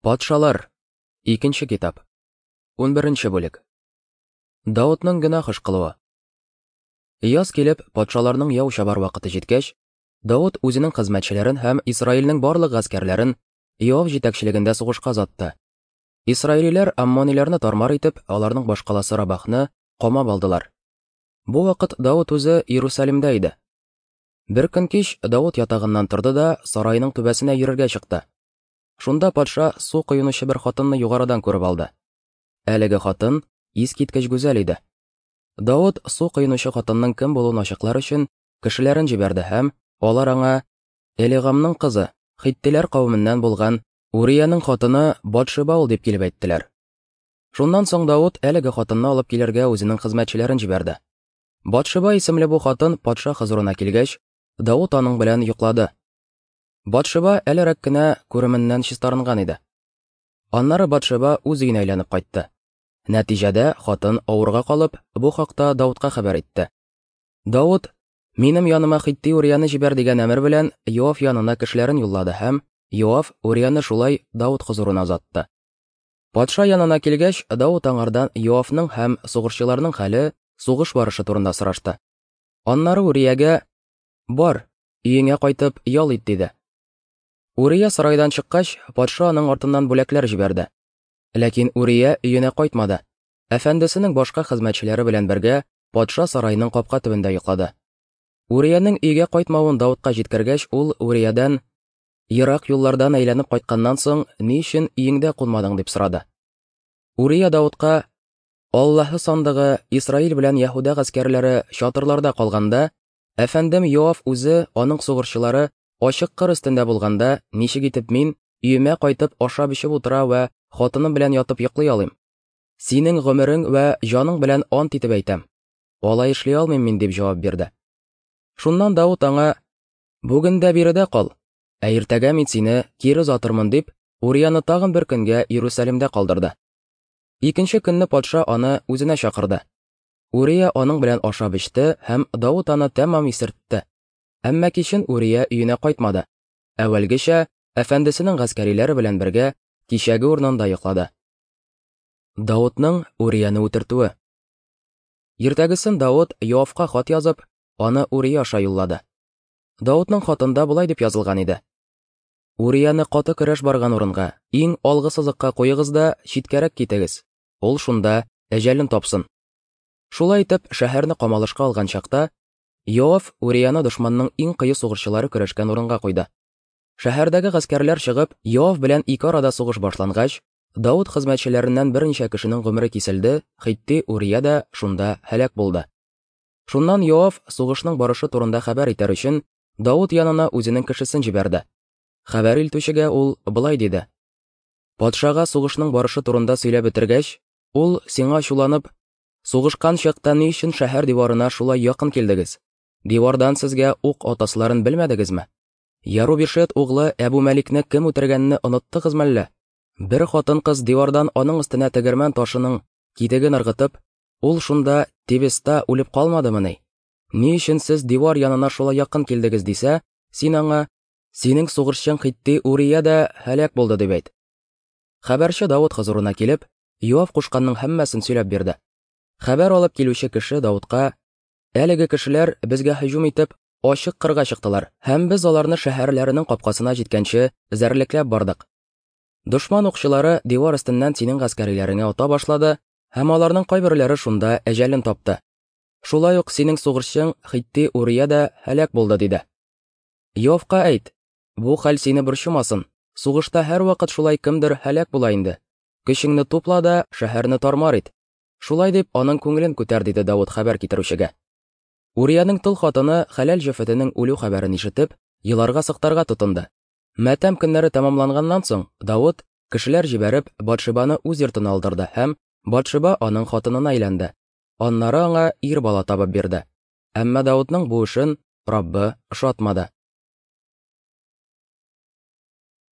Патшалар. Икенче китап. 11 бүлек. Даутның гөнаһ эш кылуы. Яз килеп, патшаларның яу чабар вакыты җиткәч, Даут үзенең хезмәтчеләрен һәм Исраилнең барлык гаскәрләрен Иоав җитәкчелегендә сугышка озатты. Исраилиләр аммониләрне тармар итеп, аларның башкаласы Рабахны камап алдылар. Бу вакыт Даут үзе Иерусалимдә иде. Бер көн кич Даут ятагыннан торды да сараеның түбәсенә йөрергә чыкты. Шунда патша су коенучы бер хатынны югарыдан күреп алды. Әлеге хатын искиткеч гүзәл иде. Давыт су коенучы хатынның кем булуын ачыклар өчен кешеләрен җибәрде һәм алар аңа Элигамның кызы, хиттиләр кавеменнән булган Уриянең хатыны Батшеба ул дип килеп әйттеләр. Шуннан соң Давыт әлеге хатынны алып килергә үзенең хезмәтчеләрен җибәрде. Батшеба исемле бу хатын патша хозурына килгәч, Давыт аның белән йоклады. Батшеба әлерәк кенә күременнән чистарынган иде. Аннары Батшеба үз өенә әйләнеп кайтты. Нәтиҗәдә хатын авырга калып, бу хакта Даутка хәбәр итте. Даут, минем яныма хитти Урияне җибәр дигән әмер белән Йоав янына кешеләрен юллады һәм Йоав Урияне шулай Даут хозурына озатты. Патша янына килгәч, Даут аңардан Йоавның һәм сугышчыларның хәле, сугыш барышы турында сорашты. Аннары Уриягә: "Бар, Өеңә кайтып, ял ит, диде. Урия сарайдан чыккач, патша аның артыннан бүләкләр җибәрде. Ләкин Урия өенә кайтмады. Әфәндесенең башка хезмәтчеләре белән бергә патша сараеның капка төбендә йоклады. Уриянең өйгә кайтмавын Даутка җиткергәч, ул Уриядән: "Ерак юллардан әйләнеп кайтканнан соң, ни өчен өеңдә кунмадың?" дип сорады. Урия Даутка: "Аллаһы сандыгы, Исраил белән Яһүдә гаскәрләре чатырларда калганда, Әфәндем Йоав үзе, аның сугышчылары ачык кыр өстендә булганда, ничек итеп мин өемә кайтып ашап-эчеп утыра вә хатыным белән ятып йоклый алыйм? Синең гомерең вә җаның белән ант итеп әйтәм. Алай эшли алмыйм мин, дип җавап бирде. Шуннан Давыт аңа: Бүген дә биредә кал, ә иртәгә мин сине кире озатырмын, дип, Урияны тагын бер көнгә Иерусалимдә калдырды. Икенче көнне патша аны үзенә чакырды. Урия аның белән ашап эчте һәм Давыт аны тәмам исертте. Әмма кичен Урия өенә кайтмады. Әүвәлгечә, әфәндесенең гаскәриләре белән бергә кичәге урынында йоклады. Давытның Урияне үтертүе. Иртәгесен Давыт Йоавка хат язып, аны Урия аша юллады. Давытның хатында болай дип язылган иде: Урияне каты көрәш барган урынга, иң алгы сызыкка куегыз да читкәрәк китегез. Ул шунда әҗәлен тапсын. Шулай итеп, шәһәрне камалышка алган чакта, Йоав Урияны дошманның иң кыю сугышчылары көрәшкән урынга куйды. Шәһәрдәге гаскәрләр чыгып, Йоав белән ике арада сугыш башлангач, Давыт хезмәтчеләреннән берничә кешенең гомере киселде, хитти Урия дә шунда һәлак булды. Шуннан Йоав, сугышның барышы турында хәбәр итәр өчен, Давыт янына үзенең кешесен җибәрде. Хәбәр илтүчегә ул болай диде: Патшага сугышның барышы турында сөйләп бетергәч, ул сиңа ачуланып, Сугышкан чакта ни өчен шәһәр диварына шулай якын килдегез? Дивардан сезгә ук атасыларын белмәдегезме? Ярубишет углы Әбу Мәликне кем үтергәнне оныттыгыз мәллә? Бер хатын-кыз дивардан аның өстенә тегермән ташының китеген ыргытып, ул шунда Тибеста үлеп калмадымыни? Ни өчен сез дивар янына шулай якын килдегез дисә, син аңа, Синең сугышчың хитти Урия дә һәлак булды дип әйт. Хәбәрче Давыт хозурына килеп, Йоав кушканның һәммәсен сөйләп бирде. Хәбәр алып килүче кеше Давытка: Әлеге кешеләр безгә һөҗүм итеп, ачык кырга чыктылар, һәм без аларны шәһәрләренең капкасына җиткәнче эзәрлекләп бардык. Дошман укчылары дивар өстеннән синең гаскәриләреңә ата башлады, һәм аларның кайберләре шунда әҗәлен тапты. Шулай ук синең сугышчың хитти Урия дә һәлак булды, диде. Йовка әйт, бу хәл сине борчымасын. Сугышта һәрвакыт шулай кемдер һәлак була инде. Көчеңне тупла да шәһәрне тармар ит. Шулай дип, аның күңелен күтәр, диде Давыт хәбәр китерүчегә. Уриянең тол хатыны хәләл җефетенең үлү хәбәрен ишетеп, еларга-сыктарга тотынды. Матәм көннәре тәмамланганнан соң, Давыт, кешеләр җибәреп, Батшибаны үз йортына алдырды һәм Батшиба аның хатынына әйләнде. Аннары аңа ир бала табып бирде. Әмма Давытның бу эшен Раббы ошатмады.